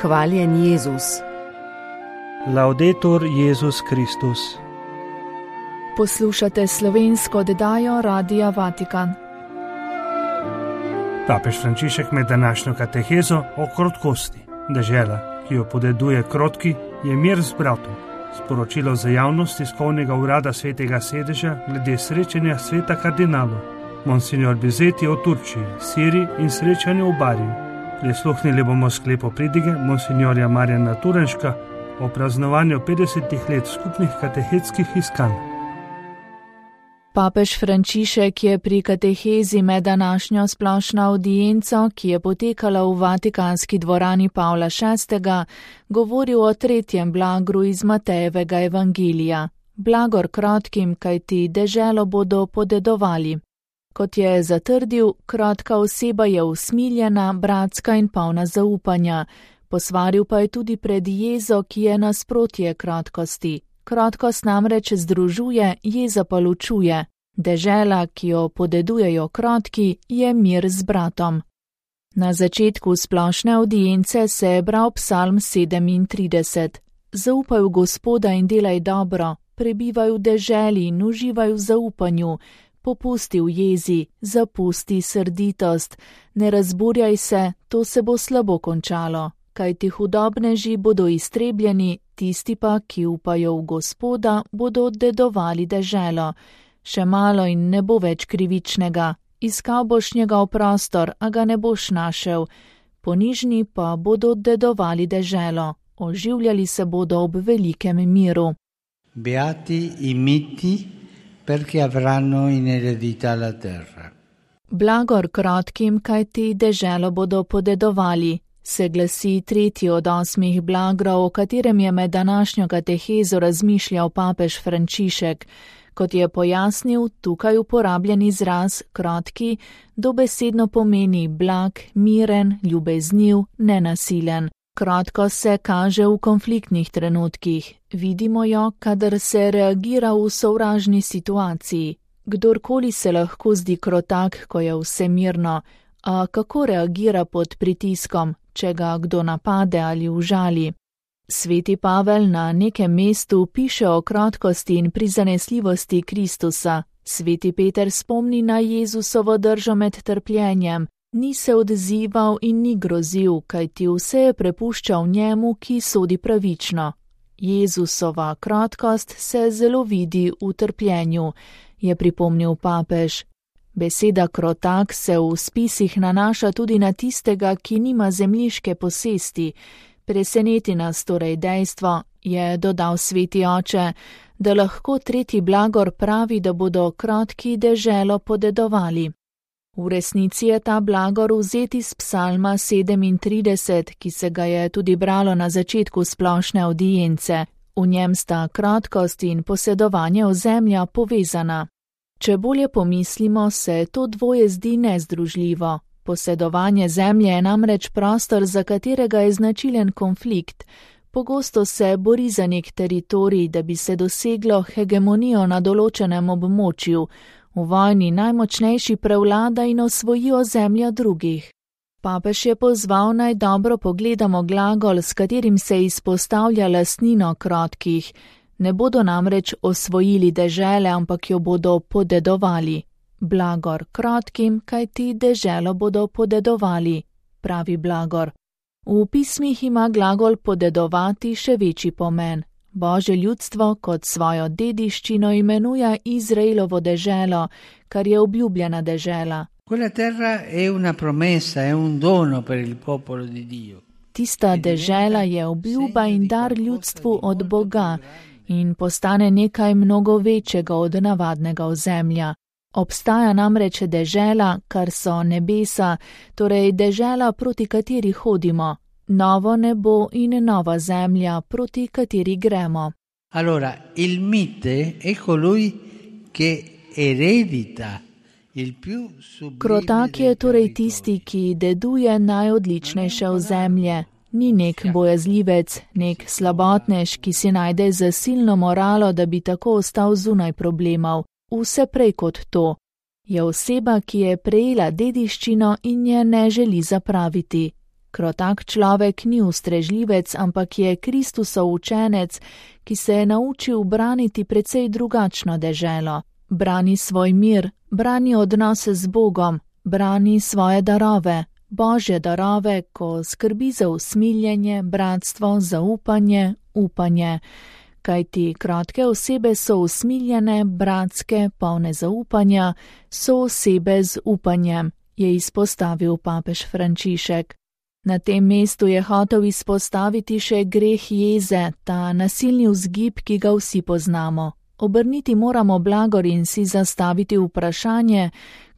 Hvaljen Jezus. Laudetur Jezus Kristus. Poslušate slovensko oddajo Radia Vatikan. Papež Frančišek med današnjo katehezo o krotkosti. Dežela, ki jo podeduje krotki, je mir z bratom. Sporočilo za javnost tiskovnega urada Svetega sedeža glede srečanja sveta kardinalov. Monsignor Bizeti o Turčiji, Siriji in srečanju v Bariju. Prisluhnili bomo sklepu pridige monsignorja Marjana Turenška o praznovanju 50 let skupnih katehetskih iskanj. Papež Frančišek je pri katehezi med današnjo splošno avdienco, ki je potekala v Vatikanski dvorani Pavla VI., govoril o tretjem blagru iz Matejevega evangelija. Blagor krotkim, kajti deželo bodo podedovali. Kot je zatrdil, krotka oseba je usmiljena, bratska in polna zaupanja. Posvaril pa je tudi pred jezo, ki je nasprotje krotkosti. Krotkost namreč združuje, jeza pa ločuje. Dežela, ki jo podedujejo krotki, je mir z bratom. Na začetku splošne avdience se je bral psalm 37. Zaupaj v Gospoda in delaj dobro, prebivaj v deželi in uživaj v zaupanju, popusti v jezi, zapusti srditost, ne razburjaj se, to se bo slabo končalo. Kajti hudobneži bodo iztrebljeni, tisti pa, ki upajo v Gospoda, bodo dedovali deželo. Še malo in ne bo več krivičnega, iskal boš njegov prostor, a ga ne boš našel. Ponižni pa bodo dedovali deželo, oživljali se bodo ob velikem miru. Beati i miti, perché avranno in eredità la terra. Blagor krotkim, kajti deželo bodo podedovali. Se glasi tretji od 8 blagrov, o katerem je med današnjo katehezo razmišljal papež Frančišek. Kot je pojasnil, tukaj uporabljen izraz krotki dobesedno pomeni blag, miren, ljubezniv, nenasilen. Krotko se kaže v konfliktnih trenutkih. Vidimo jo, kadar se reagira v sovražni situaciji. Kdorkoli se lahko zdi krotak, ko je vse mirno, a kako reagira pod pritiskom, če ga kdo napade ali užali? Sveti Pavel na nekem mestu piše o krotkosti in prizanesljivosti Kristusa. Sveti Peter spomni na Jezusovo držo med trpljenjem. Ni se odzival in ni grozil, kajti vse je prepuščal njemu, ki sodi pravično. Jezusova krotkost se zelo vidi v trpljenju, je pripomnil papež. Beseda krotak se v spisih nanaša tudi na tistega, ki nima zemljiške posesti. Preseneti nas torej dejstvo, je dodal sveti oče, da lahko tretji blagor pravi, da bodo krotki deželo podedovali. V resnici je ta blagor vzet iz psalma 37, ki se ga je tudi bralo na začetku splošne avdience. V njem sta krotkost in posedovanje ozemlja povezana. Če bolje pomislimo, se to dvoje zdi nezdružljivo. Posedovanje zemlje je namreč prostor, za katerega je značilen konflikt. Pogosto se bori za nek teritorij, da bi se doseglo hegemonijo na določenem območju. V vojni najmočnejši prevlada in osvoji ozemlja drugih. Papež je pozval, naj dobro pogledamo glagol, s katerim se izpostavlja lastnino krotkih. Ne bodo namreč osvojili dežele, ampak jo bodo podedovali. Blagor krotkim, kajti deželo bodo podedovali, pravi blagor. V pismih ima glagol podedovati še večji pomen. Božje ljudstvo kot svojo dediščino imenuje Izraelovo deželo, kar je obljubljena dežela. Quella terra è una promessa, è un dono per il popolo di Dio. Tista dežela je obljuba in dar ljudstvu od Boga in postane nekaj mnogo večjega od navadnega ozemlja. Obstaja namreč dežela, kar so nebesa, torej dežela, proti kateri hodimo. Novo nebo in nova zemlja, proti kateri gremo. Allora, il mite è colui che eredita il più sublime. Krotak je torej tisti, ki deduje najodličnejše ozemlje. Ni nek bojazljivec, nek slabotnež, ki si najde zasilno moralo, da bi tako ostal zunaj problemov. Vse prej kot to. Je oseba, ki je prejela dediščino in je ne želi zapraviti. Krotak človek ni ustrežljivec, ampak je Kristusov učenec, ki se je naučil braniti precej drugačno deželo. Brani svoj mir, brani odnose z Bogom, brani svoje darove, Božje darove, ko skrbi za usmiljenje, bratstvo, zaupanje, upanje. Kajti krotke osebe so usmiljene, bratske, polne zaupanja, so osebe z upanjem, je izpostavil papež Frančišek. Na tem mestu je hotel izpostaviti še greh jeze, ta nasilni vzgib, ki ga vsi poznamo. Obrniti moramo blagor in si zastaviti vprašanje,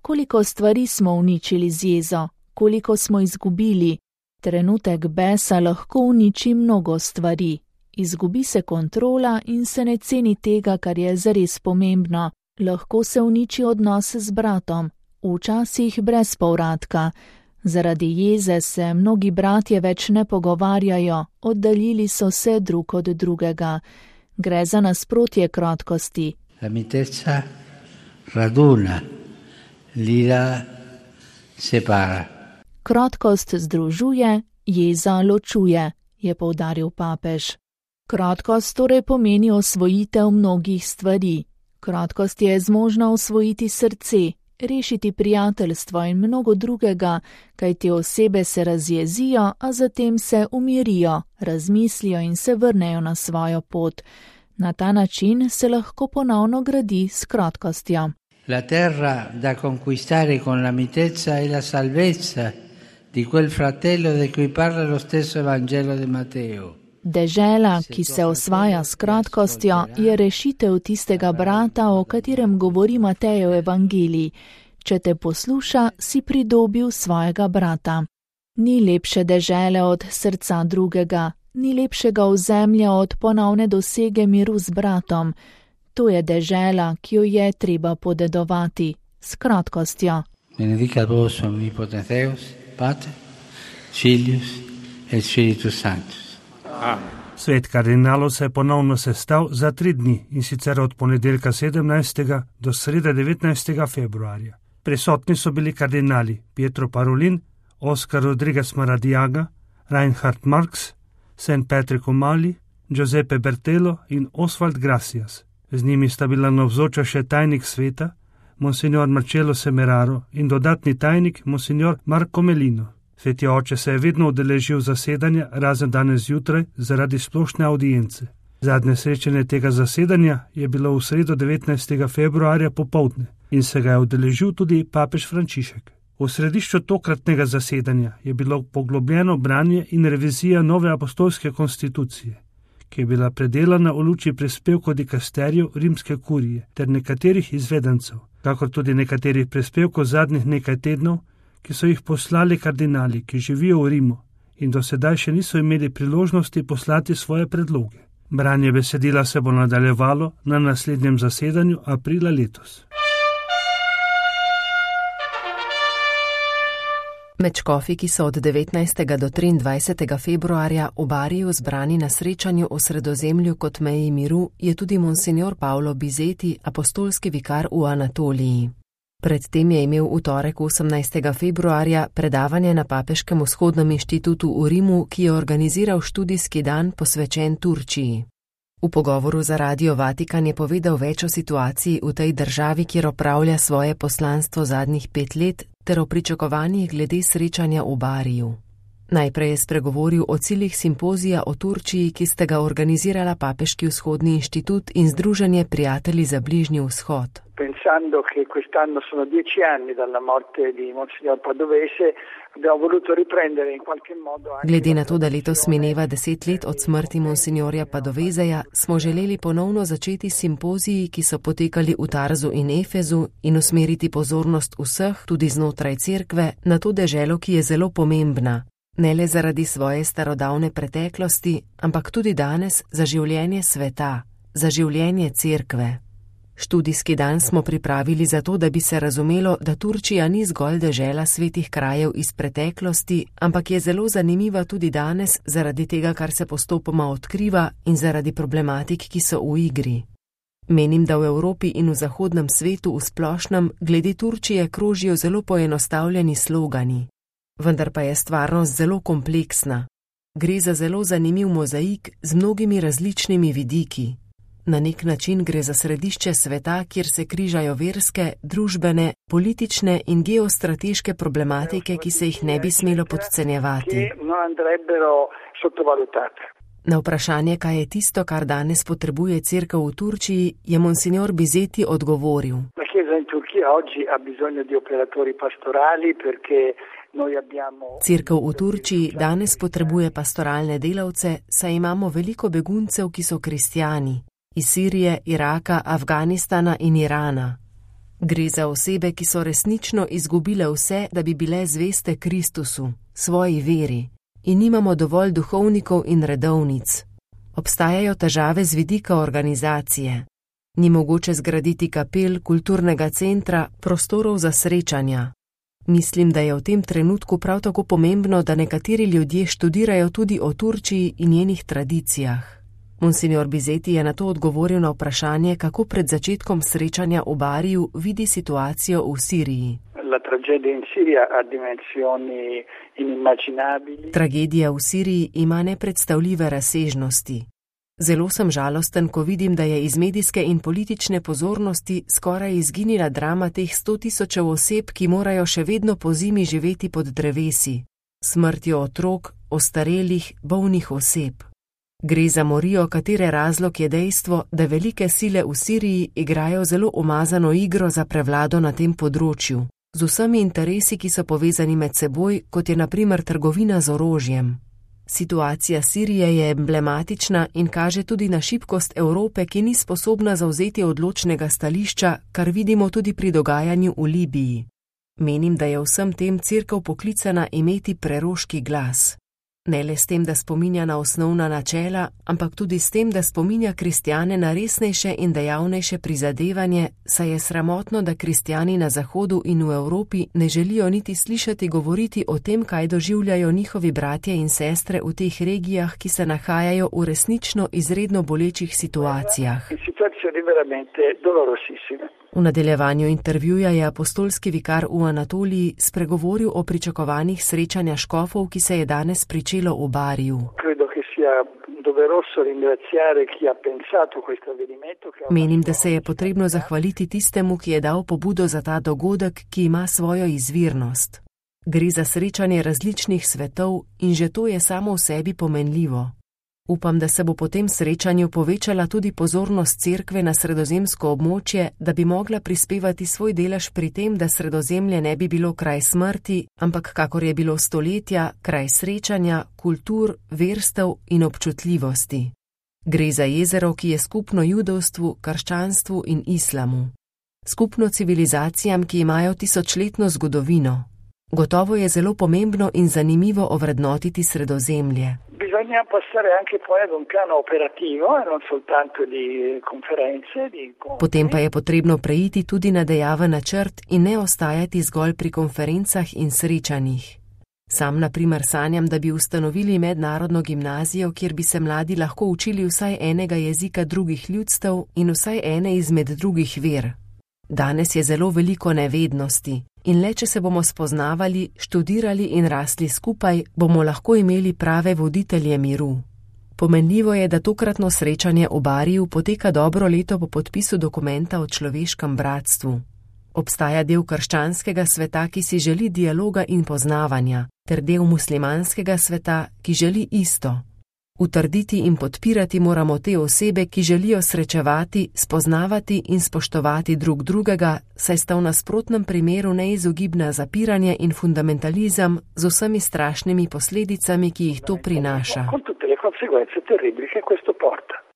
koliko stvari smo uničili z jezo, koliko smo izgubili. Trenutek besa lahko uniči mnogo stvari. Izgubi se kontrola in se ne ceni tega, kar je zares pomembno. Lahko se uniči odnos z bratom, včasih brez povratka. Zaradi jeze se mnogi bratje več ne pogovarjajo, oddaljili so se drug od drugega. Gre za nasprotje krotkosti. La mitezza raduna, l'ira separa. Krotkost združuje, jeza ločuje, je poudaril papež. Krotkost torej pomeni osvojitev mnogih stvari. Krotkost je zmožna osvojiti srce, rešiti prijateljstvo in mnogo drugega, kajti osebe se razjezijo, a zatem se umirijo, razmislijo in se vrnejo na svojo pot. Na ta način se lahko ponovno gradi s krotkostjo. La terra da conquistare con la mitezza e la salvezza di quel fratello di cui parla lo stesso Vangelo di Matteo. Dežela, ki se osvaja s kratkostjo, je rešitev tistega brata, o katerem govori Matejev evangelij. Če te posluša, si pridobil svojega brata. Ni lepše dežele od srca drugega, ni lepšega ozemlja od ponovne dosege miru z bratom. To je dežela, ki jo je treba podedovati, s kratkostjo. Benedicat vos omnipotens Deus, Pater, Filius et Spiritus Sanctus. Svet kardinalov se je ponovno sestal za 3 dni, in sicer od ponedeljka 17. do srede 19. februarja. Prisotni so bili kardinali Pietro Parolin, Oscar Rodriguez Maradiaga, Reinhard Marx, St. Patrick O'Malley, Giuseppe Bertelo in Oswald Gracias. Z njimi sta bila navzoča še tajnik sveta, monsignor Marcello Semeraro, in dodatni tajnik, monsignor Marco Melino. Sveti oče se je vedno udeležil zasedanja, razen danes zjutraj, zaradi splošne audience. Zadnje srečanje tega zasedanja je bilo v sredo 19. februarja popoldne in se ga je udeležil tudi papež Frančišek. V središču tokratnega zasedanja je bilo poglobljeno branje in revizija nove apostolske konstitucije, ki je bila predelana v luči prispevkov dikasterjev rimske kurije ter nekaterih izvedencev, kakor tudi nekaterih prispevkov zadnjih nekaj tednov, ki so jih poslali kardinali, ki živijo v Rimu in do sedaj še niso imeli priložnosti poslati svoje predloge. Branje besedila se bo nadaljevalo na naslednjem zasedanju aprila letos. Med škofi, ki so od 19. do 23. februarja v Bariju zbrani na srečanju o Sredozemlju kot meji miru, je tudi monsignor Paolo Bizeti, apostolski vikar v Anatoliji. Predtem je imel v torek 18. februarja predavanje na Papeškem vzhodnem inštitutu v Rimu, ki je organiziral študijski dan posvečen Turčiji. V pogovoru za Radio Vatikan je povedal več o situaciji v tej državi, kjer opravlja svoje poslanstvo zadnjih 5 let, ter o pričakovanjih glede srečanja v Bariju. Najprej je spregovoril o ciljih simpozija o Turčiji, ki sta ga organizirala Papeški vzhodni inštitut in Združenje prijatelji za Bližnji vzhod. Pensando che quest'anno sono 10 anni dalla morte di Monsignor Padovese, abbiamo voluto riprendere in qualche modo anche... Glede na to, da letos mineva 10 let od smrti Monsignorja Padoveseja, smo želeli ponovno začeti simpoziji, ki so potekali v Tarzu in Efezu, in usmeriti pozornost vseh, tudi znotraj cerkve, na to deželo, ki je zelo pomembna. Ne le zaradi svoje starodavne preteklosti, ampak tudi danes za življenje sveta, za življenje cerkve. Študijski dan smo pripravili zato, da bi se razumelo, da Turčija ni zgolj dežela svetih krajev iz preteklosti, ampak je zelo zanimiva tudi danes zaradi tega, kar se postopoma odkriva in zaradi problematik, ki so v igri. Menim, da v Evropi in v zahodnem svetu v splošnem glede Turčije krožijo zelo poenostavljeni slogani. Vendar pa je stvarnost zelo kompleksna. Gre za zelo zanimiv mozaik z mnogimi različnimi vidiki. Na nek način gre za središče sveta, kjer se križajo verske, družbene, politične in geostrateške problematike, ki se jih ne bi smelo podcenjevati. Na vprašanje, kaj je tisto, kar danes potrebuje cerkev v Turčiji, je monsignor Bizeti odgovoril. Cerkev v Turčiji danes potrebuje pastoralne delavce, saj imamo veliko beguncev, ki so kristjani. Iz Sirije, Iraka, Afganistana in Irana. Gre za osebe, ki so resnično izgubile vse, da bi bile zveste Kristusu, svoji veri. In nimamo dovolj duhovnikov in redovnic. Obstajajo težave z vidika organizacije. Ni mogoče zgraditi kapel, kulturnega centra, prostorov za srečanja. Mislim, da je v tem trenutku prav tako pomembno, da nekateri ljudje študirajo tudi o Turčiji in njenih tradicijah. Monsignor Bizeti je na to odgovoril na vprašanje, kako pred začetkom srečanja v Bariju vidi situacijo v Siriji. Tragedija v Siriji ima nepredstavljive razsežnosti. Zelo sem žalosten, ko vidim, da je iz medijske in politične pozornosti skoraj izginila drama teh 100.000 oseb, ki morajo še vedno po zimi živeti pod drevesi. Smrtjo otrok, ostarelih, bolnih oseb. Gre za morijo, katere razlog je dejstvo, da velike sile v Siriji igrajo zelo umazano igro za prevlado na tem področju, z vsemi interesi, ki so povezani med seboj, kot je na primer trgovina z orožjem. Situacija Sirije je emblematična in kaže tudi na šibkost Evrope, ki ni sposobna zavzeti odločnega stališča, kar vidimo tudi pri dogajanju v Libiji. Menim, da je vsem tem cerkev poklicana imeti preroški glas. Ne le s tem, da spominja na osnovna načela, ampak tudi s tem, da spominja kristjane na resnejše in dejavnejše prizadevanje, saj je sramotno, da kristjani na Zahodu in v Evropi ne želijo niti slišati govoriti o tem, kaj doživljajo njihovi bratje in sestre v teh regijah, ki se nahajajo v resnično izredno bolečih situacijah. V nadaljevanju intervjuja je apostolski vikar v Anatoliji spregovoril o pričakovanjih srečanja škofov, ki se je danes pričelo v Bariju. Menim, da se je potrebno zahvaliti tistemu, ki je dal pobudo za ta dogodek, ki ima svojo izvirnost. Gre za srečanje različnih svetov in že to je samo v sebi pomenljivo. Upam, da se bo po tem srečanju povečala tudi pozornost cerkve na sredozemsko območje, da bi mogla prispevati svoj delež pri tem, da Sredozemlje ne bi bilo kraj smrti, ampak kakor je bilo stoletja, kraj srečanja, kultur, verstev in občutljivosti. Gre za jezero, ki je skupno judovstvu, krščanstvu in islamu. Skupno civilizacijam, ki imajo tisočletno zgodovino. Gotovo je zelo pomembno in zanimivo ovrednotiti Sredozemlje. Bisogna passare anche poi ad un piano operativo e non soltanto di conferenze, di incontri. Potem pa je potrebno preiti tudi na dejaven načrt in ne ostajati zgolj pri konferencah in srečanjih. Sam na primer sanjam, da bi ustanovili mednarodno gimnazijo, kjer bi se mladi lahko učili vsaj enega jezika drugih ljudstev in vsaj ene izmed drugih ver. Danes je zelo veliko nevednosti. In le, če se bomo spoznavali, študirali in rasli skupaj, bomo lahko imeli prave voditelje miru. Pomenljivo je, da tokratno srečanje v Bariju poteka dobro leto po podpisu dokumenta o človeškem bratstvu. Obstaja del krščanskega sveta, ki si želi dialoga in poznavanja, ter del muslimanskega sveta, ki želi isto. Utrditi in podpirati moramo te osebe, ki želijo srečevati, spoznavati in spoštovati drug drugega, saj sta v nasprotnem primeru neizogibna zapiranje in fundamentalizem z vsemi strašnimi posledicami, ki jih to prinaša.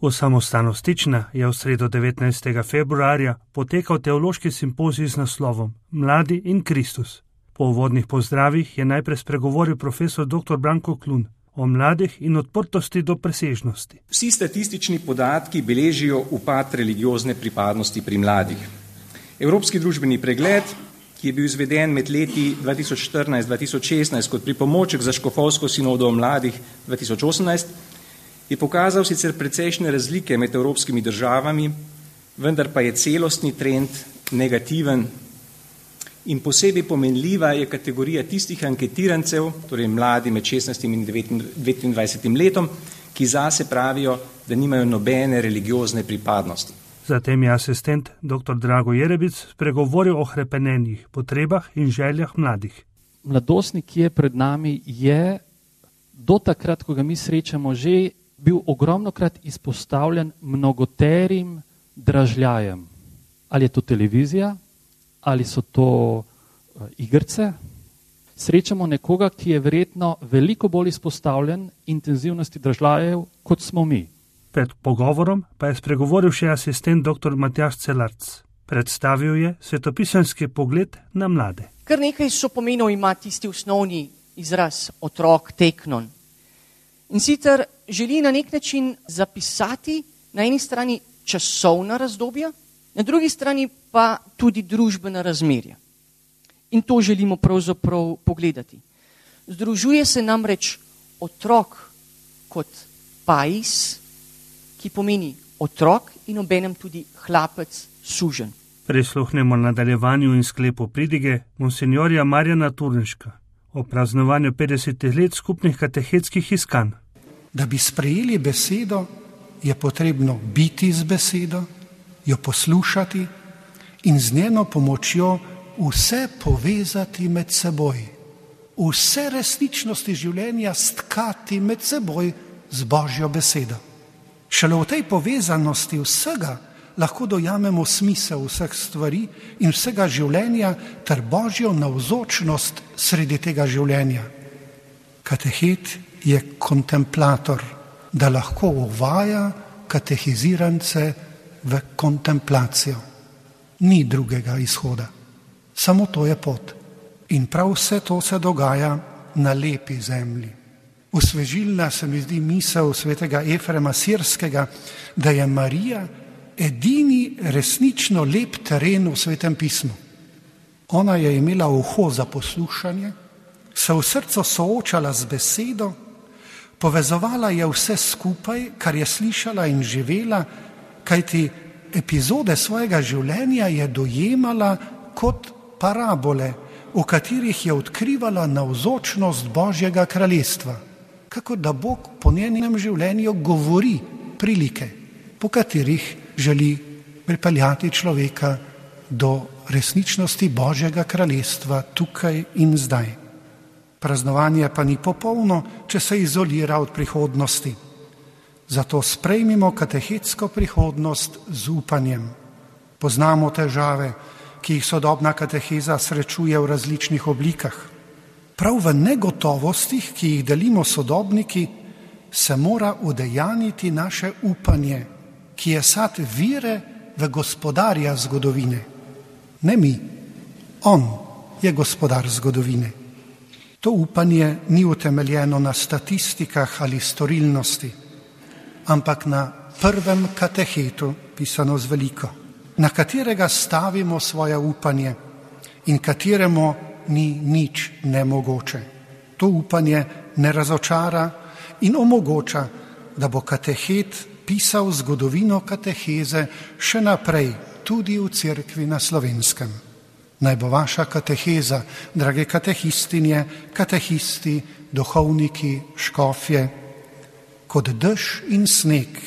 V samostanu Stična je v sredo 19. februarja potekal teološki simpozij z naslovom Mladi in Kristus. Po uvodnih pozdravih je najprej spregovoril profesor dr. Branko Klun o mladih in odprtosti do presežnosti. Vsi statistični podatki beležijo upad religiozne pripadnosti pri mladih. Evropski družbeni pregled, ki je bil izveden med leti 2014-2016 kot pripomoček za škofovsko sinodo mladih 2018, je pokazal sicer precejšnje razlike med evropskimi državami, vendar pa je celostni trend negativen In posebej pomenljiva je kategorija tistih anketirancev, torej mladi med 16 in 29 letom, ki zase pravijo, da nimajo nobene religiozne pripadnosti. Zatem je asistent dr. Drago Jerebic spregovoril o hrepenenjih, potrebah in željah mladih. Mladostnik, ki je pred nami, je do takrat, ko ga mi srečamo, že bil ogromnokrat izpostavljen mnogoterim dražljajem. Ali je to televizija, ali so to igrice. Srečamo nekoga, ki je verjetno veliko bolj izpostavljen intenzivnosti dražljajev, kot smo mi. Pred pogovorom pa je spregovoril še asistent dr. Matjaž Celarc. Predstavil je svetopisemski pogled na mlade. Kar nekaj sopomenov ima tisti osnovni izraz otrok, teknon. In sicer želi na nek način zapisati na eni strani časovna razdobja, na drugi strani pa tudi družbena razmerja. In to želimo pravzaprav pogledati. Združuje se namreč otrok kot pais, ki pomeni otrok in obenem tudi hlapec, suženj. Prisluhnemo nadaljevanju in sklepu pridige monsinjorja Marjana Turnška o praznovanju 50 let skupnih katehetskih iskanj. Da bi sprejeli besedo, je potrebno biti z besedo, jo poslušati in z njeno pomočjo vse povezati med seboj. Vse resničnosti življenja stkati med seboj z Božjo besedo. Šele v tej povezanosti vsega lahko dojamemo smisel vseh stvari in vsega življenja ter Božjo navzočnost sredi tega življenja. Katehet je kontemplator, da lahko uvaja katehizirance v kontemplacijo. Ni drugega izhoda. Samo to je pot. In prav vse to se dogaja na lepi zemlji. Osvežilna se mi zdi misel svetega Efrema Sirskega, da je Marija edini resnično lep teren v Svetem pismu. Ona je imela uho za poslušanje, se v srcu soočala z besedo, povezovala je vse skupaj, kar je slišala in živela, kajti epizode svojega življenja je dojemala kot parabole, v katerih je odkrivala navzočnost Božjega kraljestva. Kako da Bog po njenem življenju govori prilike, po katerih želi pripeljati človeka do resničnosti Božjega kraljestva tukaj in zdaj. Praznovanje pa ni popolno, če se izolira od prihodnosti. Zato sprejmimo katehetsko prihodnost z upanjem. Poznamo težave, ki jih sodobna kateheza srečuje v različnih oblikah. Prav v negotovostih, ki jih delimo sodobniki, se mora udejaniti naše upanje, ki je sad vire v gospodarja zgodovine. Ne mi, on je gospodar zgodovine. To upanje ni utemeljeno na statistikah ali storilnosti, ampak na prvem katehetu, pisano z veliko, na katerega stavimo svoje upanje in kateremu ni nič nemogoče. To upanje ne razočara in omogoča, da bo katehet pisal zgodovino kateheze še naprej, tudi v cerkvi na Slovenskem. Naj bo vaša kateheza, drage katehistinje, katehisti, duhovniki, škofje, kot dež in sneg,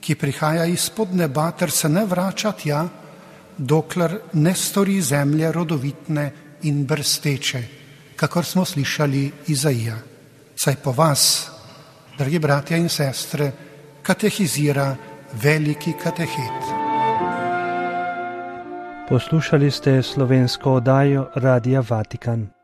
ki prihaja izpod neba ter se ne vrača tja, dokler ne stori zemlje rodovitne in brsteče, kakor smo slišali Izaija. Saj po vas, dragi bratja in sestre, katehizira veliki katehet. Poslušali ste slovensko oddajo Radia Vatikan.